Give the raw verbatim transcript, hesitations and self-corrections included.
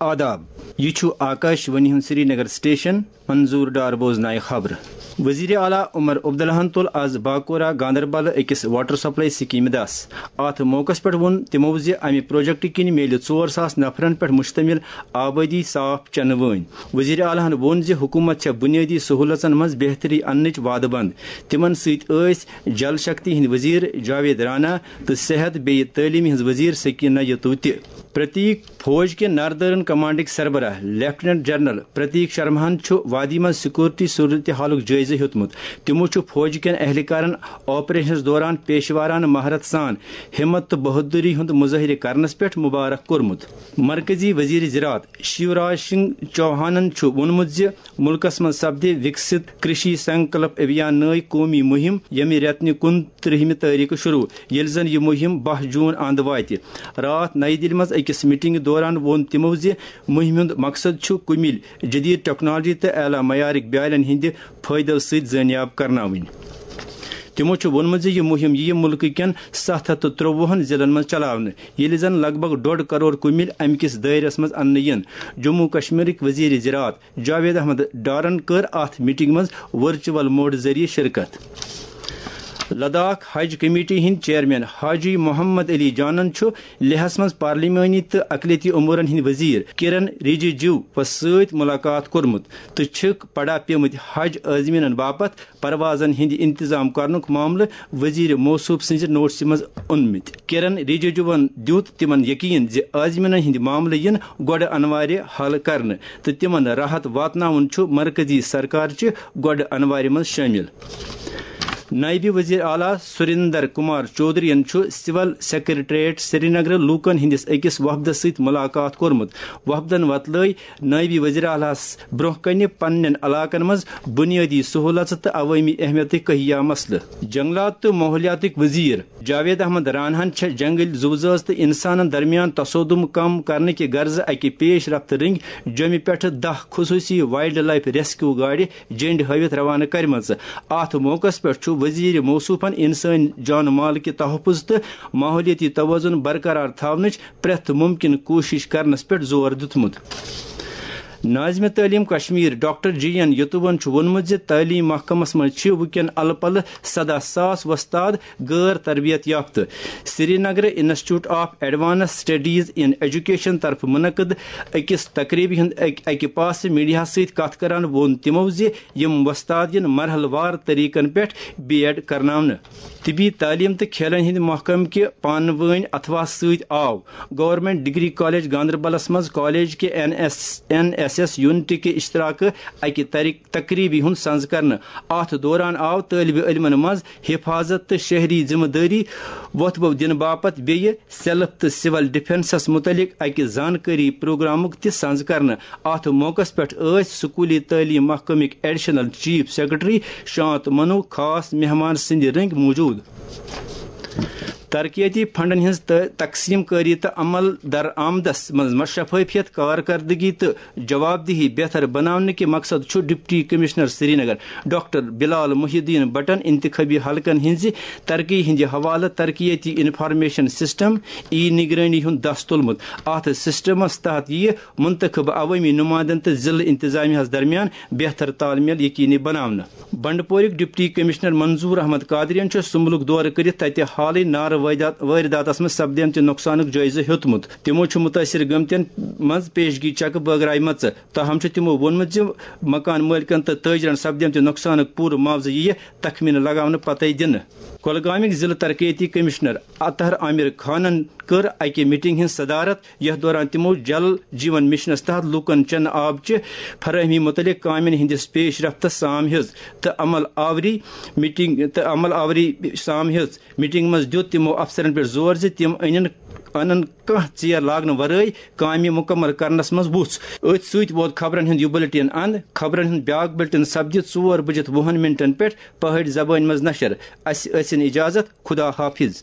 آداب، یہِ چھُ آکاش وانی ہُنٛد سرینگر سٹیشن۔ منظور ڈار بوزنایہِ خبرٕ۔ وزیر اعلیٰ عمر عبداللہن تُل آز باکورہ گاندربل أکِس واٹر سپلائی سکیمہِ دس۔ اتھ موقعس پٮ۪ٹھ ووٚن تِمو زِ امہِ پروجیکٹہٕ کِنۍ میلہِ ژور ساس نفرن پٮ۪ٹھ مشتمل آبٲدی صاف چنہٕ وٲنۍ۔ وزیر اعلیٰ ہن ووٚن زِ حکوٗمت چھےٚ بُنیٲدی سہوٗلژن منٛز بہتری اننٕچ وعدٕ بنٛد۔ تِمن سۭتۍ ٲسۍ جل شکتی ہٕنٛدۍ وزیر جاوید رانا تہٕ صحت بیٚیہِ تعلیمہِ ہٕنٛز وزیر سکینہ یتو تہِ۔ پرتیک فوج کہِ ناردرن کمانڈٕکۍ سربراہ لیفٹیننٹ جنرل پرتیک شرماہن چھُ وادی منٛز سیکورٹی صورتحالُک جٲیزٕ ہیوٚتمُت۔ تِمو چھُ فوج کٮ۪ن اہلکارن آپریشنس دوران پیشورانہٕ مہارت سان ہمت تہٕ بہادری ہُنٛد مظٲہرٕ کرنس پٮ۪ٹھ مبارک کوٚرمُت۔ مرکزی وزیر زراعت شیوراج سنگھ چوہانن چھُ ووٚنمُت زِ مُلکس منٛز سپدِ وِکسِت کرشی سنکلپ ابھیان نٲوۍ قومی مُہِم، ییٚمہِ رٮ۪تہٕ نہِ کُنترٕہمہِ تٲریخہٕ شروع، ییٚلہِ زن یہِ مُہِم باہ جوٗن اند واتہِ۔ راتھ نَیہِ دِلہِ منٛز أکِس میٹنگہِ دوران ووٚن تِمو زِ مُہِمہِ ہُنٛد مقصد چھُ کُمِلۍ جدید ٹیکنالوجی تہٕ اعلیٰ معیارٕکۍ بیالٮ۪ن ہٕنٛدِ فٲیدٕ سۭتۍ زٲنیاب کرناوٕنۍ۔ تِمو چھُ ووٚنمُت زِ یہِ مُہِم یِیہِ مُلکہٕ کٮ۪ن ستھ ہتھ تہٕ ترٛۆوُہن ضلعن منٛز چلاونہٕ، ییٚلہِ زن لگ بھگ ڈۄڈ کرور کُمِلۍ امہِ کِس دٲیرس منٛز اننہٕ یِن۔ جموں کشمیرٕکۍ وزیر زراعت جاوید احمد ڈارن کٔر اتھ میٹنگ منٛز ورچوئل موڈ ذٔریعہٕ شرکت۔ لداخ حج کمیٹی ہٕنٛدۍ چیئرمین حاجی محمد علی جانن چھُ لیہس منٛز پارلیمانی تہٕ اقلیتی امورن ہٕنٛدۍ وزیر کرن رجیجو وَس سۭتۍ ملاقات کوٚرمُت تہٕ چھِکھ پڑا پیمٕتۍ حج عازمینن باپتھ پروازن ہٕنٛدۍ انتظام کرنُک معاملہٕ وزیر موصوف سٕنٛزِ نوٹسہِ منٛز اوٚنمُت۔ کرن رجیجوَن دیُت تِمن یقین زِ عازمینن ہٕنٛدۍ معاملہٕ یِن گۄڈٕ انوارِ حل کرنہٕ تہٕ تِمن راحت واتناوُن چھُ مرکزی سرکارچہِ گۄڈٕ انوارِ منٛز شٲمِل۔ نائب وزیر اعلیٰ سریندر کمار چودھرین چھُ سول سیکرٹریٹ سرینگرٕ لوٗکن ہٕنٛدِس أکِس وفدس سۭتۍ ملاقات کوٚرمُت۔ وفدن وۄتلٲوۍ نائب وزیر اعلیٰ ہَس برٛونٛہہ کنہِ پننٮ۪ن علاقن منٛز بنیٲدی سہوٗلژٕ تہٕ عوٲمی اہمیتٕکۍ کہیا مسلہٕ۔ جنگلات تہٕ ماحولیاتٕکۍ وزیر جاوید احمد راناہن چھےٚ جنگل زُو زٲژ تہٕ انسانن درمیان تصادم کم کرنہٕ کہِ غرضہٕ اکہِ پیش رفت رٔنگۍ جوٚمہِ پٮ۪ٹھٕ دَہ خصوٗصی وائلڈ لائف ریسکیو گاڑِ جنڈ ہٲوِتھ روانہٕ کرِمژٕ۔ اتھ موقعس پٮ۪ٹھ چھُ وزیر موصوفن انسٲنی جان مال کہِ تحفظ تہٕ ماحولیٲتی توازن برقرار تھاونٕچ پرٛٮ۪تھ ممکن کوٗشش کرنس پٮ۪ٹھ زور دیُتمُت۔ ناظم تعلیم کشمیر ڈاکٹر جی این یتوون چھُ ووٚنمُت زِ تعلیم محکمس منٛز چھِ وٕنکٮ۪ن الہٕ پلہٕ سداہ ساس وۄستاد غٲر تربیت یافتہٕ۔ سرینگرٕ institute of advance studies in education طرفہٕ منعقد أکِس تقریبہِ ہُنٛد اکہِ، اکہِ پاسہٕ میڈیاہس سۭتۍ کتھ کران ووٚن تِمو زِ یِم وۄستاد یِن مرحلہٕ وار طریقن پٮ۪ٹھ بی ایڈ کرناونہٕ۔ طبی تعلیم تہٕ کھیلن ہٕنٛدِ محکمہٕ کہِ پانہٕ وٲنۍ اتھواہس سۭتۍ آو گورنمنٹ ڈگری کالج گاندربلس منٛز کالج کہِ N S, N S S یونٹہٕ کہِ اشتراکہٕ اکہِ تری-، تقریبہِ ہُنٛد سنز کرنہٕ۔ اتھ دوران آو طٲلبہِ علمن منٛز حفاظت تہٕ شہری ذمہٕ دٲری وۄتھبو دِنہٕ باپتھ بیٚیہِ سیلف تہٕ سول ڈیفنسس مُتعلق اکہِ زانکٲری پروگرامُک تہِ سنز کرنہٕ۔ اتھ موقعس پٮ۪ٹھ ٲسۍ سکولی تعلیٖم محکمٕکۍ ایڈیشنل چیف سیکرٹری شانت منو خاص مہمان سٕنٛدِ رٔنگۍ موجود۔ ترقیتی فنڈن ہٕنٛز تہٕ تقسیم کٲری تہٕ عمل درآمدس منٛز شفافیت، کارکردگی تہٕ جوابدہی بہتر بناونہٕ کہِ مقصد چھُ ڈپٹی کمشنر سرینگر ڈاکٹر بلال محی الدین بٹن انتخابی حلقن ہٕنٛزِ ترقی ہٕنٛدِ حوالہٕ ترقیتی انفارمیشن سسٹم، ای نگرٲنی ہُنٛد دس تُلمُت۔ اتھ سسٹمس تحت یِیہِ منتخب عوٲمی نمائندن تہٕ ضلعہٕ انتظامیہس درمیان بہتر تال میل یقینی بناونہٕ۔ بنڈپورٕکۍ ڈپٹی کمشنر منظور احمد قادریَن چھُ سُمبلُک دورٕ کٔرِتھ تتہِ حالٕے نارٕ وٲرِدات-، وٲرِداتس منٛز سپدیمتہِ نۄقصانُک جٲیزٕ ہیوٚتمُت۔ تِمو چھُ مُتٲثِر گٲمتٮ۪ن منٛز پیشگی چیکہٕ بٲگرایمژٕ۔ تاہم چھُ تِمو ووٚنمُت زِ مکان مٲلکن تہٕ تٲجرن سپدیمتہِ نۄقصانُک پوٗرٕ معاوضہٕ یِیہِ تخمینہٕ لگاونہٕ پتے دِنہٕ۔ کۄلگامٕکۍ ضلعہٕ ترقیتی کمشنر اطہر عامر خانن کٔر اکہِ میٹنگ ہٕنٛز صدارت، یتھ دوران تِمو جل جیون مشنس تحت لوٗکن چنہٕ آب چہِ فراہمی مُتعلق کامٮ۪ن ہٕنٛدِس پیش رفتس سام ہیٚژ تہٕ عمل آوری میٹنگ، تہٕ عمل آوری سام ہیٚژ۔ میٹنگ منٛز دیُت تِمو افسرن پٮ۪ٹھ زور زِ تِم أنِن، انن کانٛہہ ژیر لاگنہٕ ورٲے کامہِ مُکمل کرنس منٛز وُژھ۔ أتھۍ سۭتۍ ووت خبرن ہُنٛد یہِ بُلٹن اند۔ خبرن ہُنٛد بیاکھ بُلٹن سپدِ ژور بجِتھ وُہن منٹن پٮ۪ٹھ پہٲڑۍ زبٲنۍ منٛز نشر۔ اسہِ ٲسِن اجازت۔ خدا حافظ۔